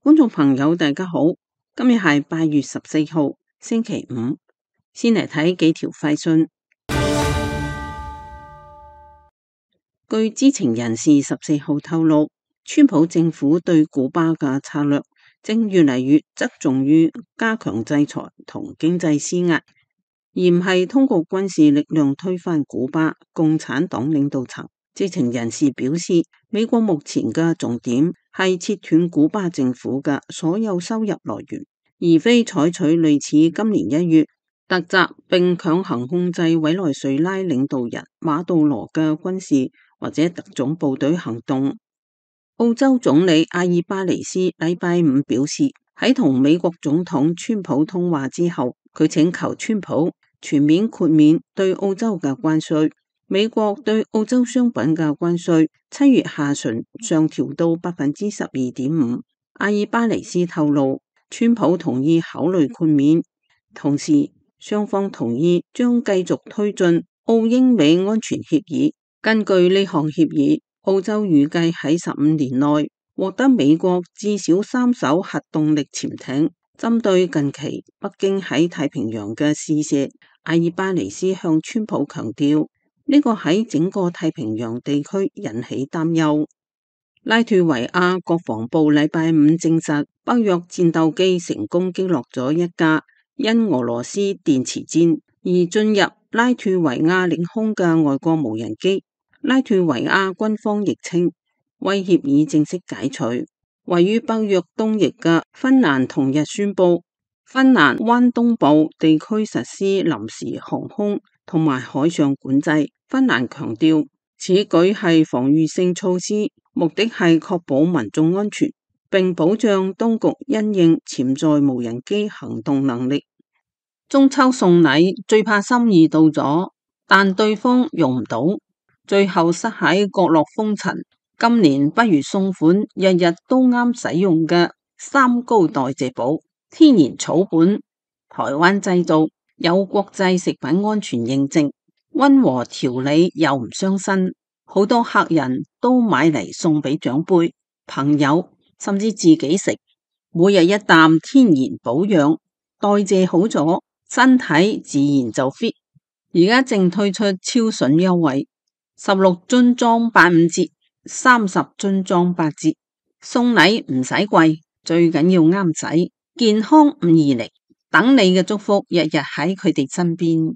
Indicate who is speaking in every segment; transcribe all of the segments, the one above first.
Speaker 1: 觀眾朋友大家好，今日係8月14號星期五，先嚟睇幾條快訊。據知情人士14號透露，川普政府對古巴嘅策略正越嚟越側重於加強制裁同經濟施壓，而唔係通過軍事力量推翻古巴共產黨領導層。知情人士表示，美國目前嘅重點係切斷古巴政府嘅所有收入來源，而非採取類似今年1月突襲並強行控制委內瑞拉領導人馬杜羅嘅軍事或者特種部隊行動。澳洲總理阿爾巴尼斯禮拜五表示，喺同美國總統川普通話之後，佢請求川普全面豁免對澳洲嘅關稅。美國對澳洲商品嘅關稅7月下旬上調到12.5%。阿爾巴尼斯透露，川普同意考慮豁免，同時雙方同意將繼續推進澳英美安全協議。根據呢項協議，澳洲預計喺15年內獲得美國至少3艘核動力潛艇。針對近期北京喺太平洋嘅試射，阿爾巴尼斯向川普強調，呢個喺整個太平洋地區引起擔憂。拉脫維亞國防部禮拜五證實，北約戰鬥機成功擊落咗一架因俄羅斯電磁戰而進入拉脫維亞領空嘅外國無人機。拉脫維亞軍方亦稱，威脅已正式解除。位於北約東翼嘅芬蘭同日宣布，芬蘭灣東部地區實施臨時航空同埋海上管制。芬蘭強調，此舉係防禦性措施，目的係確保民眾安全，並保障當局因應潛在無人機行動能力。中秋送禮最怕心意到咗，但對方用唔到，最後塞喺角落封塵。今年不如送款日日都啱使用嘅3高代謝寶，天然草本，台灣製造，有國際食品安全認證，溫和調理又唔傷身，好多客人都買嚟送俾長輩、朋友，甚至自己食。每日一啖天然保養，代謝好咗，身體自然就 fit。而家正推出超筍優惠，16樽裝85折，30樽裝8折。送禮唔使貴，最緊要啱使，健康唔易嚟，等你嘅祝福日日喺佢哋身邊。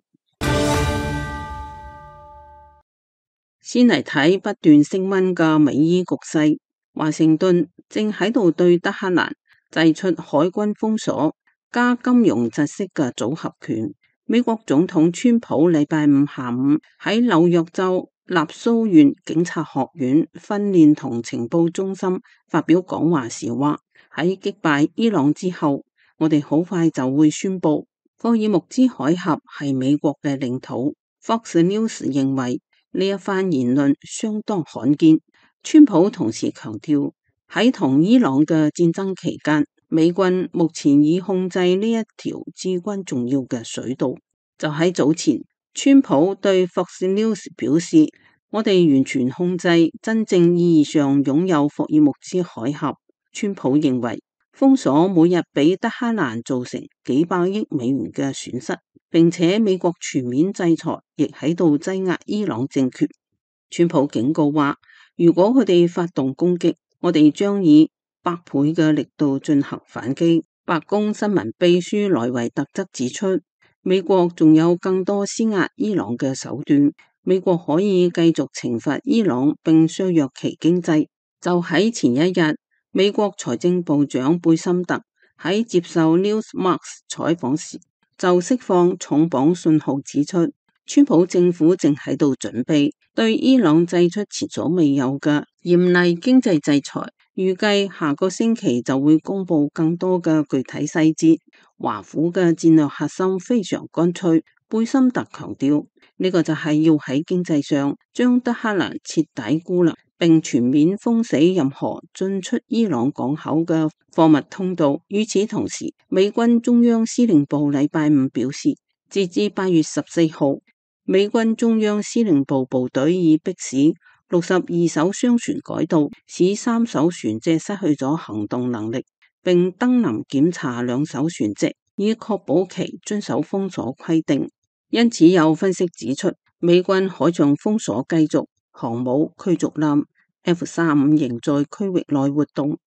Speaker 1: 先嚟睇不斷升溫嘅美伊局勢，華盛頓正喺度對德黑蘭祭出海軍封鎖加金融窒息嘅組合拳。美國總統川普禮拜五下午喺紐約州納蘇縣警察學院訓練同情報中心發表講話時話，喺擊敗伊朗之後，我哋好快就會宣布霍爾木茲海峽係美國嘅領土。Fox News 認為呢一番言論相當罕見。川普同時強調，喺同伊朗嘅戰爭期間，美軍目前已控制呢一條至關重要嘅水道。就喺早前，川普對 Fox News 表示，我哋完全控制真正意義上擁有霍爾木茲海峽。川普認為封鎖每日俾德黑蘭造成幾百億美元嘅損失，並且美國全面制裁亦喺度擠壓伊朗政權。川普警告話，如果佢哋發動攻擊，我哋將以100倍嘅力度進行反擊。白宮新聞秘書萊維特則指出，美國仲有更多施壓伊朗嘅手段，美國可以繼續懲罰伊朗並削弱其經濟。就喺前一日，美國財政部長貝森特喺接受 Newsmax 採訪時就釋放重磅信號，指出川普政府正喺度準備對伊朗祭出前所未有嘅嚴厲經濟制裁，預計下個星期就會公布更多嘅具體細節。華府嘅戰略核心非常乾脆，貝森特強調，呢個就係要喺經濟上將德黑蘭徹底孤立，並全面封死任何進出伊朗港口嘅貨物通道。與此同時，美軍中央司令部禮拜五表示，截至8月14號，美軍中央司令部部隊已迫使62艘商船改道，使3艘船隻失去咗行動能力。並登臨檢查兩艘船隻，以確保其遵守封鎖規定。因此有分析指出，美軍海上封鎖繼續，航母驅逐艦 F-35仍在區域內活動。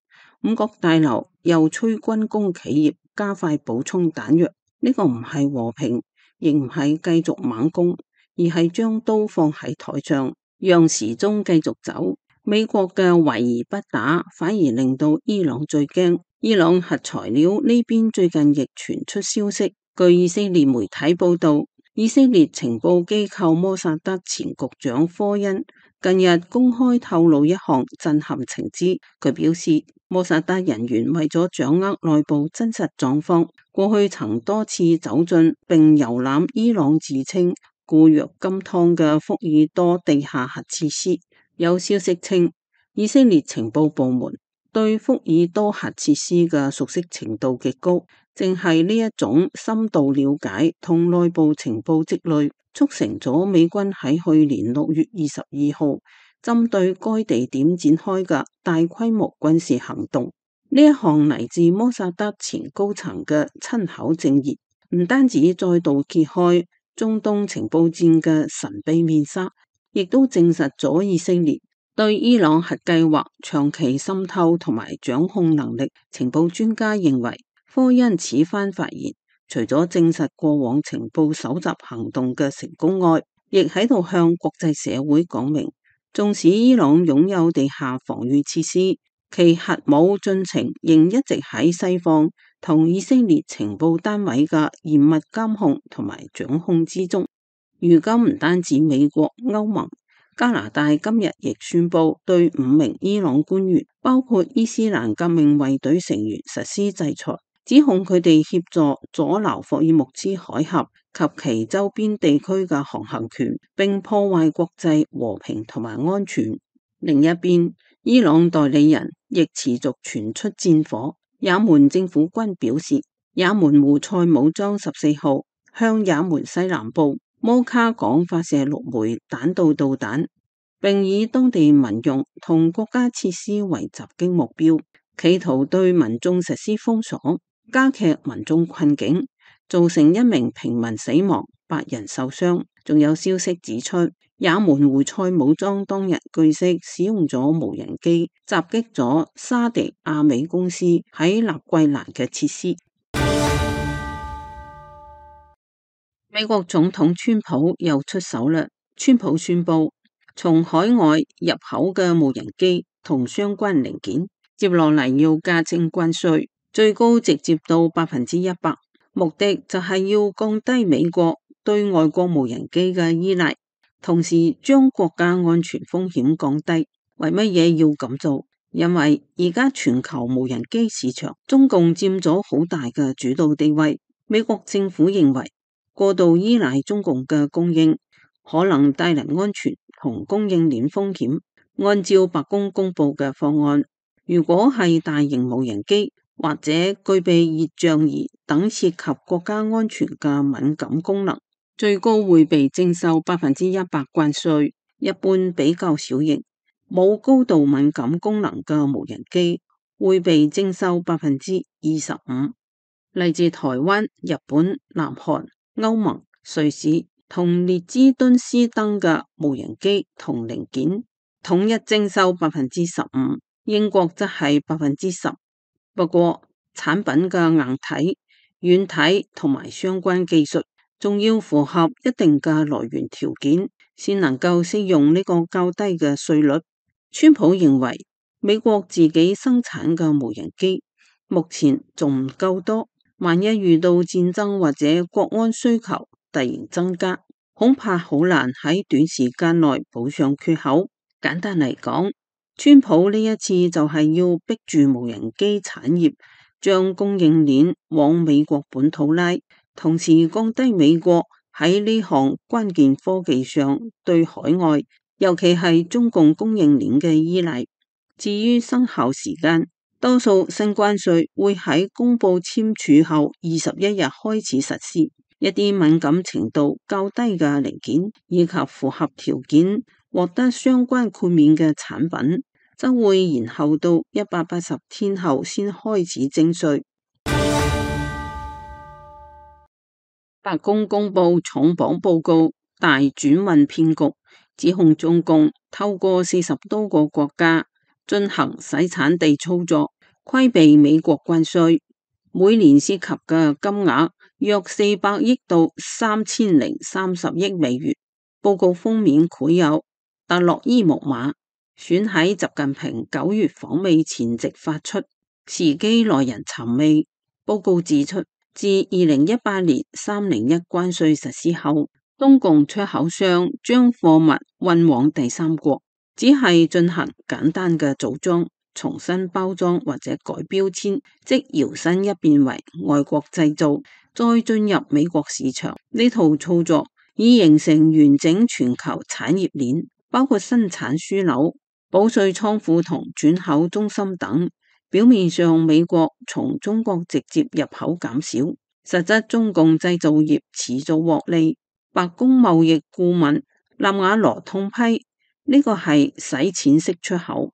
Speaker 1: 五角大樓又催軍工企業加快補充彈藥，呢個唔係和平，亦唔係繼續猛攻，而係將刀放喺台上，讓時鐘繼續走。美國嘅圍而不打，反而令到伊朗最驚。伊朗核材料呢邊最近亦傳出消息，據以色列媒體報道，以色列情報機構摩薩德前局長科恩近日公開透露一項震撼情資。佢表示，摩薩德人員為咗掌握內部真實狀況，過去曾多次走進並遊覽伊朗自稱固若金湯嘅福爾多地下核設施。有消息稱，以色列情報部門對福爾多核設施嘅熟悉程度極高，正係呢一種深度了解同內部情報積累，促成咗美軍喺去年6月22號針對該地點展開嘅大規模軍事行動。呢一項嚟自摩薩德前高層嘅親口證言，唔單止再度揭開中東情報戰嘅神秘面紗，亦都證實咗以色列對伊朗核計劃長期滲透同埋掌控能力。情報專家認為，科恩此番發言，除咗證實過往情報搜集行動嘅成功外，亦喺度向國際社會講明，縱使伊朗擁有地下防禦設施，其核武進程仍一直喺西方同以色列情報單位嘅嚴密監控同埋掌控之中。如今唔單止美國、歐盟、加拿大今日亦宣布對5名伊朗官員，包括伊斯蘭革命衛隊成員實施制裁，指控佢哋協助阻撓霍爾木茲海峽及其周邊地區嘅航行權，並破壞國際和平同埋安全。另一邊，伊朗代理人亦持續傳出戰火。也門政府軍表示，也門胡塞武裝14號向也門西南部摩卡港發射6枚彈道導彈，並以當地民用同國家設施為襲擊目標，企圖對民眾實施封鎖，加劇民眾困境，造成1名平民死亡，8人受傷。仲有消息指出，也門胡塞武裝當日據悉使用咗無人機襲擊咗沙迪亞美公司喺納桂蘭嘅設施。美國總統川普又出手啦！川普宣布，從海外入口嘅無人機同相關零件，接落嚟要加徵關稅，最高直接到100%，目的就係要降低美國對外國無人機嘅依賴，同時將國家安全風險降低。為乜嘢要咁做？因為而家全球無人機市場，中共佔咗好大嘅主導地位。美國政府認為，過度依賴中共嘅供應，可能帶嚟安全同供應鏈風險。按照白宮公布嘅方案，如果係大型無人機或者具備熱像儀等涉及國家安全嘅敏感功能，最高會被徵收100%關稅。一般比較小型、冇高度敏感功能嘅無人機會被徵收25%。嚟自台灣、日本、南韓、歐盟、瑞士同列支敦斯登嘅無人機同零件統一徵收15%，英國則係10%。不過產品嘅硬體、軟體同埋相關技術仲要符合一定嘅來源條件，先能夠適用呢個較低嘅稅率。川普認為美國自己生產嘅無人機目前仲唔夠多，萬一遇到戰爭或者國安需求突然增加，恐怕好難喺短時間內補上缺口。簡單嚟講，川普呢一次就係要逼住無人機產業將供應鏈往美國本土拉，同時降低美國喺呢項關鍵科技上對海外，尤其係中共供應鏈嘅依賴。至於生效時間，多數新關稅會喺公布簽署後21日開始實施。一啲敏感程度較低嘅零件以及符合條件獲得相關豁免嘅產品，則會延後到180天後先開始徵稅。白宮公布重磅報告，大轉運騙局，指控中共透過40多個國家進行洗產地操作，規避美國關稅，每年涉及嘅金額約400億到3030億美元。報告封面繪有特洛伊木馬，選喺習近平9月訪美前夕發出，時機耐人尋味。報告指出，自2018年301關稅實施後，中共出口商將貨物運往第三國，只係進行簡單嘅組裝、重新包裝或者改標籤，即搖身一變為外國製造，再進入美國市場。呢套操作已形成完整全球產業鏈，包括生產樞紐、保稅倉庫同轉口中心等。表面上美國從中國直接入口減少，實質中共製造業持續獲利。白宮貿易顧問納瓦羅痛批呢個係洗錢式出口，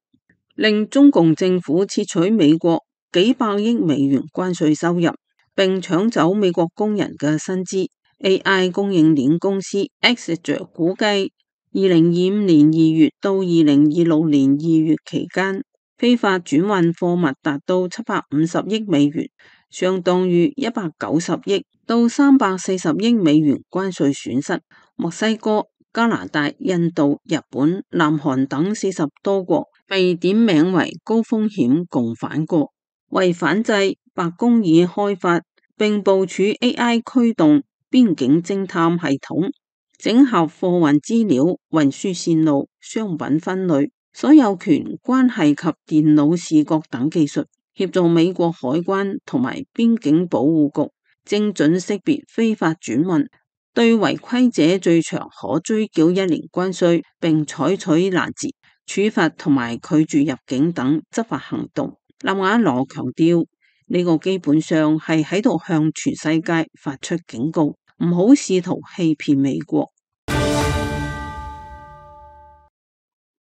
Speaker 1: 令中共政府竊取美國幾百億美元關稅收入，並搶走美國工人嘅薪資。AI 供應鏈公司 Exeger 估計2025年2月到2026年2月期間，非法轉運貨物達到750億美元，相當於190億到340億美元關稅損失。墨西哥、加拿大、印度、日本、南韓等40多國被點名為高風險共犯國。為反制，白宮已開發並部署 AI 驅動邊境偵探系統，整合貨運資料、運輸線路、商品分類、所有權關係及電腦視覺等技術，協助美國海關同埋邊境保護局精準識別非法轉運，對違規者最長可追繳1年關稅，並採取攔截、處罰同埋拒絕入境等執法行動。納瓦羅強調，呢個基本上係喺度向全世界發出警告，唔好試圖欺騙美國。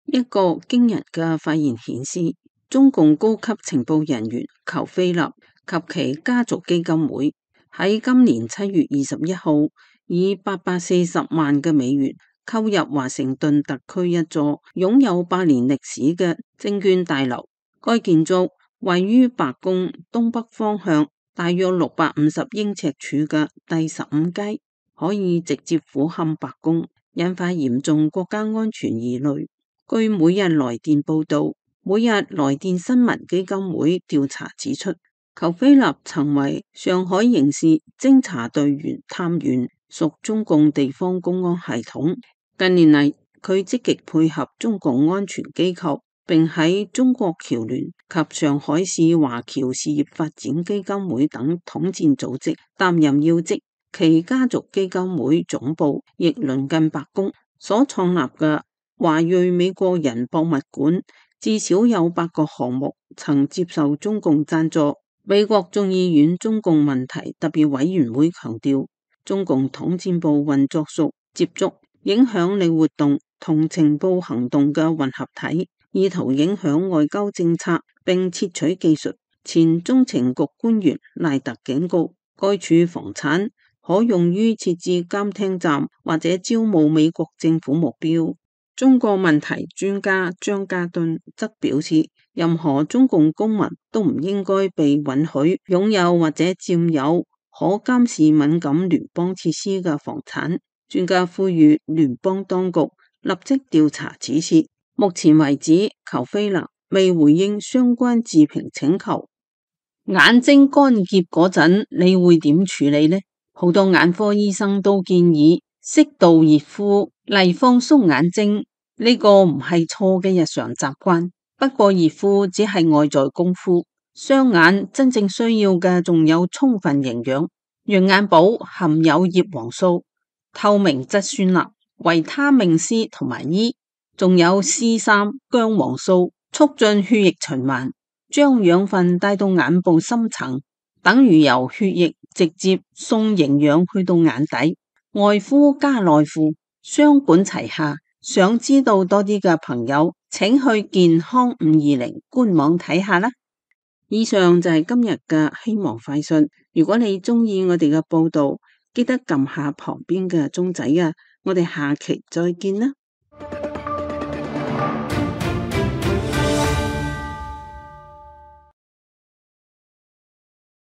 Speaker 1: 一個驚人嘅發現顯示，中共高級情報人員裘菲立及其家族基金會喺今年7月21號以840萬嘅美元購入華盛頓特區一座擁有100年歷史嘅證券大樓。該建築位於白宮東北方向大約650英尺處嘅第15階，可以直接俯瞰白宮，引發嚴重國家安全疑慮。據每日來電報道，每日來電新聞基金會調查指出，裘菲立曾為上海刑事偵查隊員探員，屬中共地方公安系統。近年嚟，佢積極配合中共安全機構，並喺中國僑聯及上海市華僑事業發展基金會等統戰組織擔任要職。其家族基金會總部亦鄰近白宮，所創立嘅華裔美國人博物館至少有8個項目曾接受中共贊助。美國眾議院中共問題特別委員會強調，中共統戰部運作屬接觸、影響力活動同情報行動嘅混合體，意圖影響外交政策並竊取技術。前中情局官員賴特警告，該處房產可用於設置監聽站或者招募美國政府目標。中國問題專家張家敦則表示，任何中共公民都唔應該被允許擁有或者佔有可監視敏感聯邦設施嘅房產。專家呼籲聯邦當局立即調查此事。目前為止，裘菲立未回應相關置評請求。眼睛乾澀嗰陣，你會點處理呢？好多眼科醫生都建議適度熱敷嚟放鬆眼睛。呢個唔係錯嘅日常習慣，不過熱敷只係外在功夫，雙眼真正需要嘅仲有充分營養。羊眼寶含有葉黃素、透明質酸鈉、維他命 C 同埋 E， 仲有 C3 薑黃素，促進血液循環，將養分帶到眼部深層，等於由血液直接送營養去到眼底。外敷加內敷，雙管齊下。想知道多啲嘅朋友，請去健康520官網睇下啦。以上就係今日嘅希望快訊。如果你鍾意我哋嘅報道，記得撳下旁邊嘅鐘仔啊！我哋下期再見啦。